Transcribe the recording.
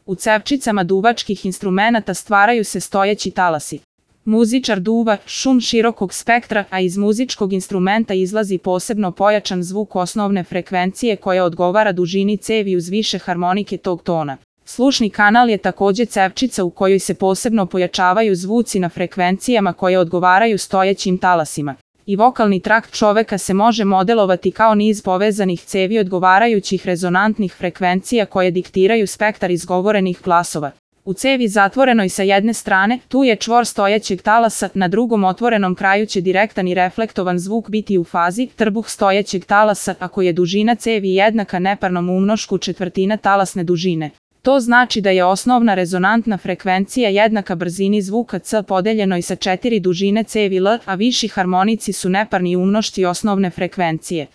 U cevčicama duvačkih instrumenata stvaraju se stojeći talasi. Muzičar duva šum širokog spektra, a iz muzičkog instrumenta izlazi posebno pojačan zvuk osnovne frekvencije koja odgovara dužini cevi uz više harmonike tog tona. Slušni kanal je takođe cevčica u kojoj se posebno pojačavaju zvuci na frekvencijama koje odgovaraju stojećim talasima. I vokalni trakt čoveka se može modelovati kao niz povezanih cevi odgovarajućih rezonantnih frekvencija koje diktiraju spektar izgovorenih glasova. U cevi zatvorenoj sa jedne strane, tu je čvor stojećeg talasa, na drugom otvorenom kraju će direktan i reflektovan zvuk biti u fazi trbuh stojećeg talasa ako je dužina cevi jednaka neparnom umnošku četvrtina talasne dužine. To znači da je osnovna rezonantna frekvencija jednaka brzini zvuka C podeljenoj sa 4 dužine cevi L, a viši harmonici su neparni umnošci osnovne frekvencije.